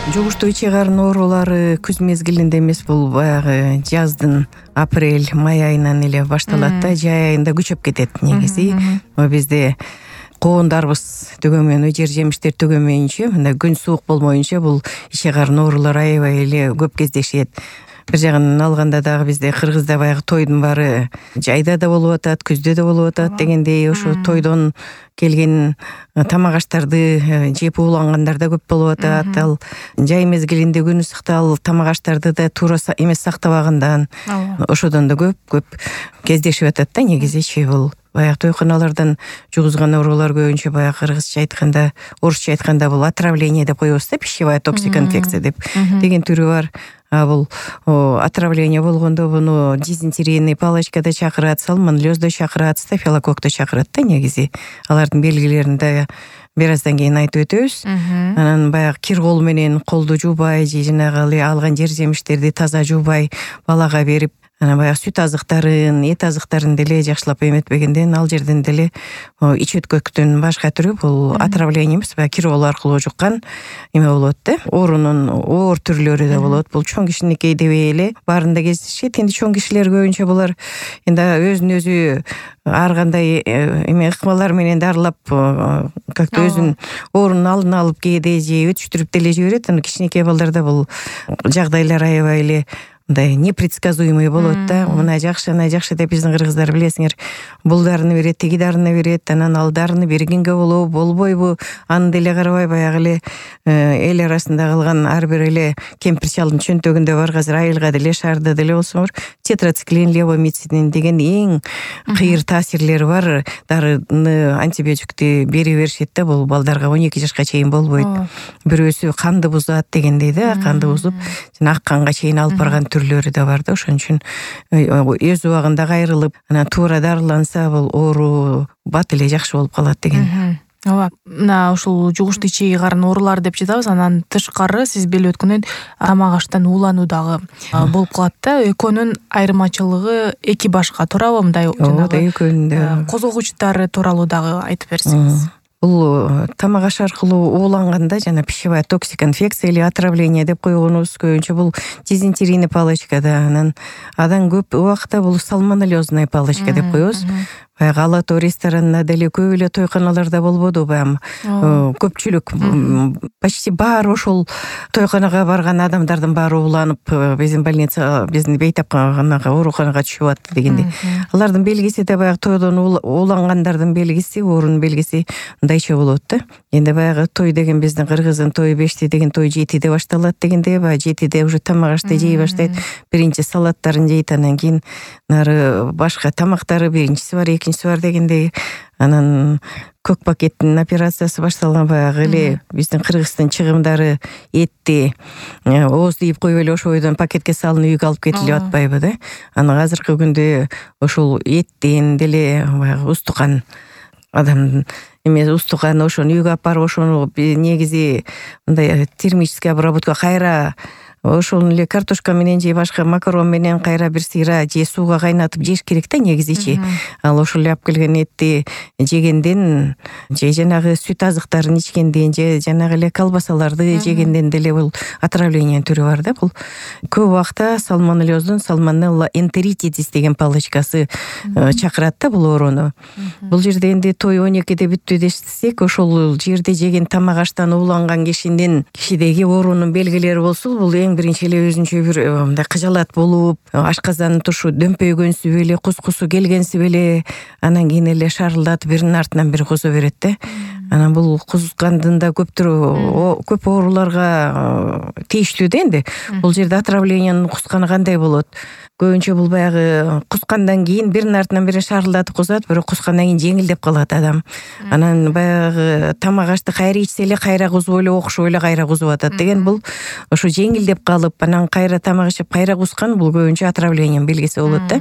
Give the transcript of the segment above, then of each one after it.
Жугуштуу ичи карын оорулары күз мезгилинде эмес, бул баягы жаздын апрель, май айынан эле башталат да, жай айында күчөп кетет негизи. Бизде коондарыбыз төгөмөйүнчө, жер жемиштер төгөмөйүнчө, мындай күн суук болмоюнча бул ичи карын оорулары аябай эле көп кездешет. Бир жагынан алганда дагы бизде Кыргызда баягы тойдун баары жайда да болуп атат, күздө да болуп атат дегендей, ошо тойдон келген тамак аштарды жеп уулангандар да көп болуп атат. Ал жай мезгилинде күн ысыктал тамак аштарды да туура эмес сактабагандан ошодон да көп кездешип атат да негизичи. Бул баягы тойканалардан жугузган оорулар көбүнчө баягы кыргызча айтканда, орусча айтканда бул отравление деп коебуз да, пищевая токсикоинфекция деп деген түрү бар. Бул отравление болгондо буну дизентерийный палочкада чакырат, сальмонеллезда чакырат, стафилококкто чакырат да негизи. Алардын белгилерин да бир аздан кийин айтып өтөбүз. Анан баягы кир кол менен колду жуубай, же жанагы алган жер жемиштерди таза жуубай балага берип, анан баягы сүт азыктарын, эт азыктарын деле жакшылап эметпегенден ал жерден деле ич өткөктүн башка түрү бул отравление эмес, баягы кир кол аркылуу жуккан эме болот да. Оорунун оор түрлөрү да болот. Бул чоң кишиникей дебей эле баарында кездешет. Энди чоң кишилер көбүнчө булар энди өзүн өзү ар кандай эме ыкмалар менен дарылап, как-то өзүнүн оорунун алдын алып кээде же өтүштүрүп деле жиберет. Анан кичинекей балдарда бул жагдайлар аябай эле мындай непредсказуемый болот да. Мына жакшы деп биздин кыргыздар билесиңер, бул дарыны берет, тиги дарыны берет, анан ал дарыны бергенге болобу, болбойбу, аны деле карабай баягы эле эл арасында калган ар бир эле кемпир чалдын чөнтөгүндө бар азыр айылга деле шаарда деле болсоңор тетрациклин, левомицидин деген эң кыйыр таасирлери бар дарыны, антибиотикти бере беришет да. Бул балдарга 12 жашка чейин болбойт. Бирөөсү канды бузат дегендей да, канды бузуп ак канга чейин алып барган түрлөрү да бар да. Ошон үчүн өз убагында кайрылып, анан туура дарыланса бул оору бат эле жакшы болуп калат деген. Ооба, мына ушул жугуштуу ичи карын оорулары деп жатабыз. Анан тышкары сиз белип өткөндөй тамак аштан уулануу дагы болуп калат да. Экөөнүн айырмачылыгы эки башка, туурабы? Мындай жанагы экөөнүн да козгогучтары тууралуу дагы айтып берсеңиз. Бул тамак аш аркылуу ууланганда жана пищевая токсикоинфекция или отравление деп койгонубуз көбүнчө бул дизентерийный палочкада, анан адан көп убакта бул сальмонеллезный палочка деп коебуз. Баягы ала тоо ресторанына деле көп эле тойканаларда болбоду, баягы көпчүлүк почти баары ошол тойканага барган адамдардын баары ууланып, биздин больница, биздин бейтапканага ооруканага түшүп атты дегендей. Алардын белгиси да баягы тойдон уулангандардын белгиси, оорунун белгиси мындайча болот да. Энди баягы той деген биздин кыргыздын тою 5-ти деген той 7-де башталат дегенде, баягы 7-де уже тамак ашты жей баштайт. Биринчи салаттарын жейт, анан кийин нары башка тамактары биринчиси бар, экинчиси бар дегендей. Анан көк пакеттин операциясы башталган, баягы эле биздин кыргыздын чыгымдары этти ооз тийип коюп эле ошо бойдон пакетке салынып үйгө алып кетилип атпайбы да. Анан азыркы күндө ошол эттен деле баягы устукан адамдын эмес, устукан ошону үйгө алып барып, ошону негизи мындай термический обработка кайра ошол эле картошка менен же башка макарон менен кайра бир сыйра же сууга кайнатып жеш керек да негизичи. Ал ошол эле алып келген этти жегенден же жанагы сүт азыктарын ичкенден же жанагы эле колбасаларды жегенден деле бул отравление түрү бар да. Бул көп убакта сальмонеллездун сальмонелла энтеритидис деген палочкасы чакырат да бул ооруну. Бул жерде энди той 12-де бүттү десек, ошол жерде жеген тамак аштан ууланган кишидеги оорунун белгилери болсо, бул эң биринчи эле өзүнчө бир мындай кыжалат болуп, ашказандын тушу дөмпөйгөнсү беле, кускусу келгенси беле, анан кийин эле шарылдатып биринин артынан бири куза берет да. Анан бул кузгандын да көп ооруларга тийиштүү да. Энди бул жерде отравлениянын кусканы кандай болот? Көбүнчө бул баягы кускандан кийин биринин артынан бири шарылдатып кузат, бирок кускандан кийин жеңилдеп калат адам. Анан баягы тамак ашты кайра ичсе эле кайра кузуп эле, окшоп эле кайра кузуп атат деген. Бул ошо жеңилдеп калып, анан кайра тамак ичип кайра кускан, бул көбүнчө отравлениянын белгиси болот да.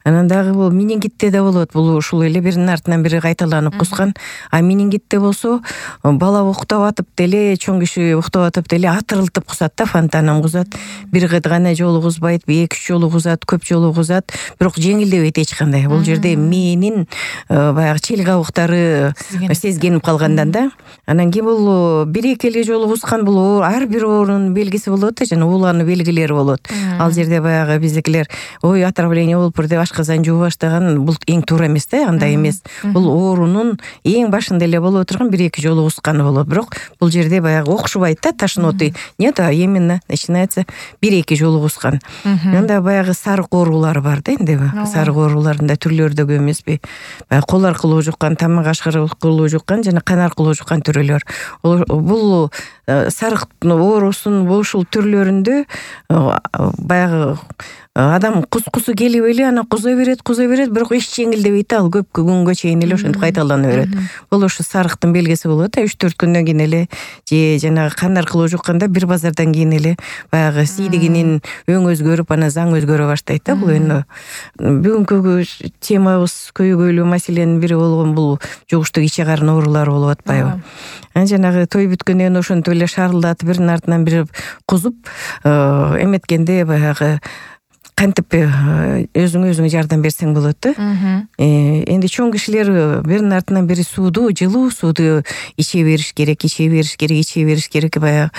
Анан дагы бул менингитте да болот. Бул ушул эле биринин артынан бири кайталанып кускан. А менингит кетте болсо бала уктап атып деле, чоң киши уктап атып деле атырылтып кузат да, фонтанын кузат. Бир гана жолу кузбайт, 2-3 жолу кузат, көп жолу кузат, бирок жеңилдебейт эч кандай. Бул жерде мээнин баягы чел кабыктары сезгенип калгандан да. Анан кийин бул 1-2 эле жолу кузган бул ар бир оорунун белгиси болот да, жана уулануу белгилери болот. Ал жерде баягы биздикилер ой отравление болуптур деп ашказан жууп баштаган, бул эң туура эмес да, андай эмес. Бул оорунун эң башында эле боло турган 1-2 жолу кузганы болот. Бирок бул жерде баягы окшубайт да, тошноты. Нет, а именно начинается 1-2 жолу кузган. Анда баягы сарык оорулары бар да, энди сарык ооруларында түрлөрү да көп эмеспи? Баягы кол аркылуу жуккан, тамак аркылуу жуккан жана кан аркылуу жуккан түрөлөр. Бул сарык оорусунун ушул түрлөрүндө баягы адам кускусу келип эле анан куза берет, бирок эч жеңилдебейт да, ал көп күнгө чейин эле ошентип кайталана берет. Бул ошо сарыктын белгиси болот да, 3-4 күндөн кийин эле же жанагы кан аркылуу жукканда бир базардан кийин эле баягы сийдигинин өң өзгөрүп, анан заң өзгөрө баштайт да. Бул эми бүгүнкү темабыз көйгөйлүү маселенин бири болгон бул жугуштук иче карын оорулары болуп атпайбы? Жанагы той бүткөндөн ошентип эле шарылдатып биринин артынан бири кузуп эметкенде баягы кантип өзүң жардам берсең болот да. Энди чоң кишилер биринин артынан бири сууду, жылуу сууду иче бериш керек. Баягы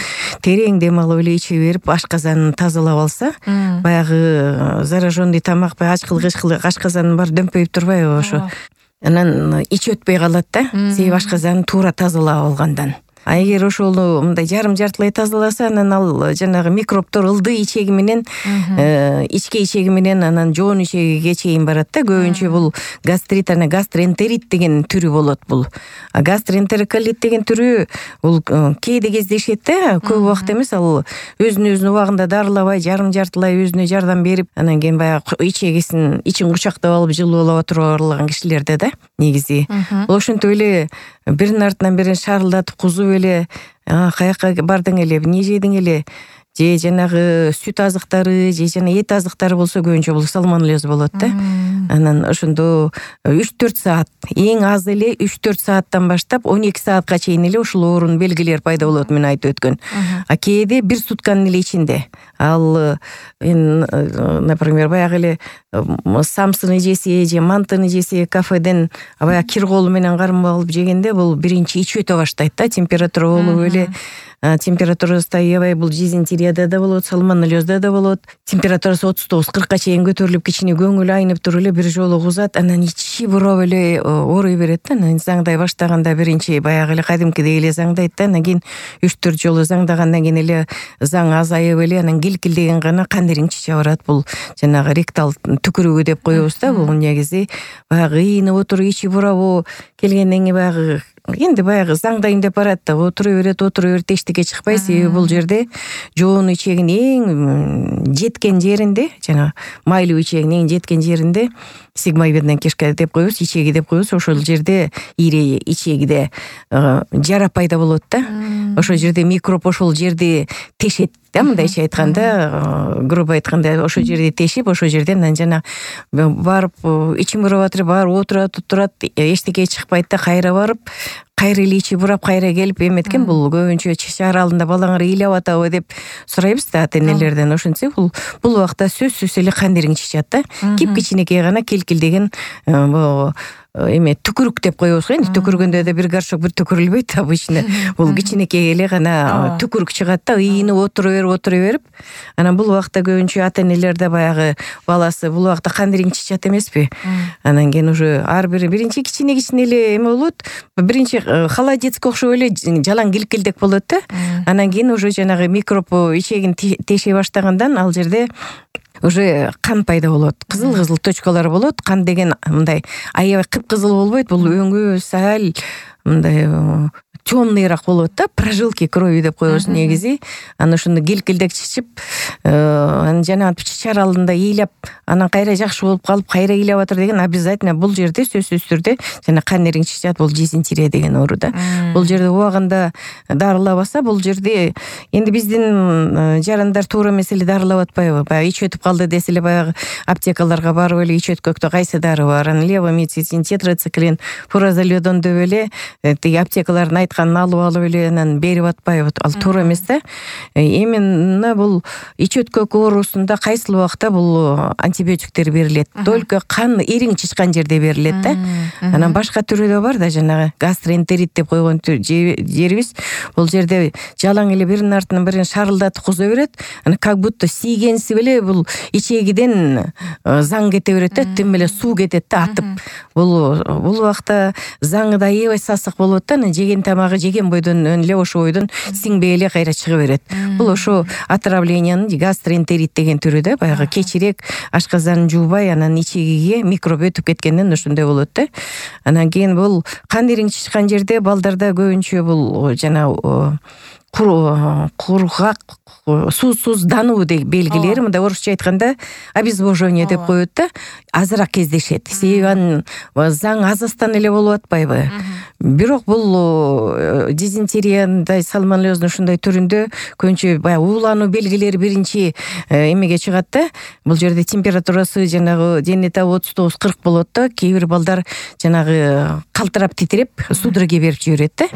терең дем алып эле иче берип, ашказанын тазалап алса, баягы зараженный тамак, ачкыл ашказанын баары дөмпөйүп турбайбы ошо. Анан ич өтпөй калат да, себеби ашказанын туура тазалап алгандан. А эгер ошол мындай жарым-жартылай тазаласа, анан ал жанагы микробтор ылдый ичеги менен, ичке ичеги менен анан жоон ичегиге чейин барат да. Көбүнчө бул гастрит, анан гастроэнтерит деген түрү болот бул. А гастроэнтероколит деген түрү бул кээде кездешет да, көп убакыт эмес, ал өзүн убагында дарылабай, жарым-жартылай өзүнө жардам берип, анан кийин баягы ичегисин ичин кучактап алып жылуулап отурган кишилерде да негизи. Ошентип эле биринин артынан бирин шарылдатып кузуп эле, каяка бардың эле, эмне жедиң эле, же жанагы сүт азыктары, же жана эт азыктары болсо көбүнчө бул сальмонеллез болот да. Анан ошондо 3-4 саат, эң аз эле 3-4 сааттан баштап 12 саатка чейин эле ушул оорунун белгилери пайда болот, мен айтып өткөн. А кээде 1 сутканын эле ичинде. Ал например, баягы эле самсыны жесе, же мантыны жесе, кафеден баягы кир колу менен кармап алып жегенде бул биринчи ич өтө баштайт да, температура болуп эле. Температурасы таябай, бул дизентерияда да болот, сальмонеллезда да болот. Температурасы 39-40ка чейин көтөрүлүп, кичине көңүл айнып туруп эле бир жолу кузат, анан ичи буроп эле ооруй берет да. Анан заңдай баштаганда биринчи баягы эле кадимкидей эле заңдайт да, анан кийин 3-4 жолу заңдагандан кийин эле заң азайып эле, анан килкилдеген гана кан ириңчиче барат. Бул жанагы ректал түкүрүгү деп коебуз да. Бул негизи баягы ыйынып отуруп, ичи бурабы келгенден кийин баягы энди баягы заңдайын деп барат да, отура берет, эчтеке чыкпай. Себеби бул жерде жоон ичегинин эң жеткен жеринде, жана майлуу ичегинин эң жеткен жеринде сигмовидная кишка деп коебуз, ичеги деп коебуз. Ошол жерде ири ичегиде жара пайда болот да. Ошол жерде микроб ошол жерде тешет да, мындайча айтканда, грубо айтканда, ошол жерде тешип, ошол жерден анан жана барып ичим бурап атыр, барып отурат, эчтеке чыкпайт да, кайра барып, кайра эле ичи бурап, кайра келип эметкен. Бул көбүнчө чаар алдында балаңар ыйлап атабы деп сурайбыз да ата-энелерден. Ошентсе бул убакта сөзсүз эле кан ириң чычат да. Кичинекей гана келкилдеген эме түкүрүк деп коебуз го. Энди түкүргөндө да бир горшок бир түкүрүлбөйт обычно. Бул кичинекей эле гана түкүрүк чыгат да, ыйынып отура берип. Анан бул убакта көбүнчө ата-энелерде баягы баласы бул убакта кан ириң чычат эмеспи? Анан кийин уже ар бири биринчи кичине эле эме болот. Биринчи холодецке окшоп эле жалаң килкилдек болот да. Анан кийин уже жанагы микроб ичегин теше баштагандан ал жерде уже кан пайда болот. Кызыл точкалар болот. Кан деген мындай аябай кыпкызыл болбойт. Бул өңү сал мындай темныйраак болот да, прожилки крови деп коебуз негизи. Анан ошондо килкилдек чычып, анан жана чаар алдында ыйлап, анан кайра жакшы болуп калып, кайра ыйлап атыр деген обязательно бул жерде сөзсүз түрдө жана кан ириң чычат, бул дизентерия деген оору да. Бул жерде убагында дарылабаса, бул жерде энди биздин жарандар туура эмес эле дарылап атпайбы? Баягы ич өтүп калды десе эле баягы аптекаларга барып эле ич өткөктө кайсы дары бар, анан левомицин, тетрациклин, фуразолидон деп эле тиги аптекалардын айтканын алып эле анан берип атпайбы, ал туура эмес да. Именно бул ич өткөк оорусунда кайсыл убакта бул антибиотиктер берилет, только кан ириң чычкан жерде берилет да. Анан башка түрү да бар да, жанагы гастроэнтерит деп койгон жерибиз. Бул жерде жалаң эле биринин артынан бирин шарылдатып куза берет. Анан как будто тийгенсип эле бул ичегиден заң кете берет да, тим эле суу кетет да атып. Бул убакта заңы да аябай сасык болот да, анан жеген тамагы жеген бойдон эле ошо бойдон сиңбей эле кайра чыга берет. Бул ошо отравлениянын гастроэнтерит деген түрү да, баягы кечирээк ашказанын жуубай, анан ичегиге микроб өтүп кеткенден ошондой болот да. Анан кийин бул кан ириң чычкан жерде балдарда көбүнчө бул жана кургак, суусуздануу деген белгилери, мындай орусча айтканда обезвоживание деп коет да, азыраак кездешет. Себеби анын заң азастан эле болуп атпайбы? Бирок бул дизентерияндай сальмонеллездің ушундай түрүндө көбүнчө баягы уулануу белгилери биринчи эмеге чыгат да. Бул жерде температурасы жанагы дене табы 39-40 болот да. Кээ бир балдар жанагы калтырап титиреп судорога берип жиберет да.